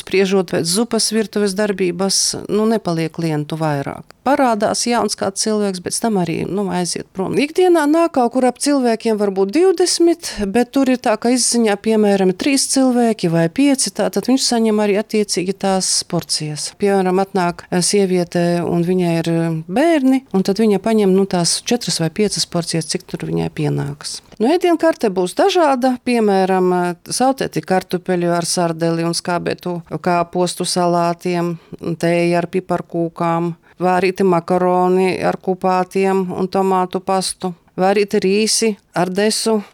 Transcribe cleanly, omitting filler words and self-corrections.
spriežot pēc zupas virtuves darbības, nepaliek klientu vairāk. Parādās jauns kāds cilvēks, bet tam arī aiziet prom. Ikdienā nāk kaut kur ap cilvēkiem varbūt 20, bet tur ir tā, ka izziņā, piemēram, 3 cilvēki vai 5, tātad viņš saņem arī attiecīgi tās porcijas. Piemēram, atnāk sieviete un viņai ir bērni, un tad viņa paņem tās 4 vai 5 porcijas, cik tur viņai pienākas. Ēdienkarte būs dažāda, piemēram, sautēti kartupeļi ar sardeli un skābētu kāpostu salātiem, tēja ar piparkūkām, vārīti makaroni ar kupātiem un tomātu pastu, vārīti rīsi ar desu,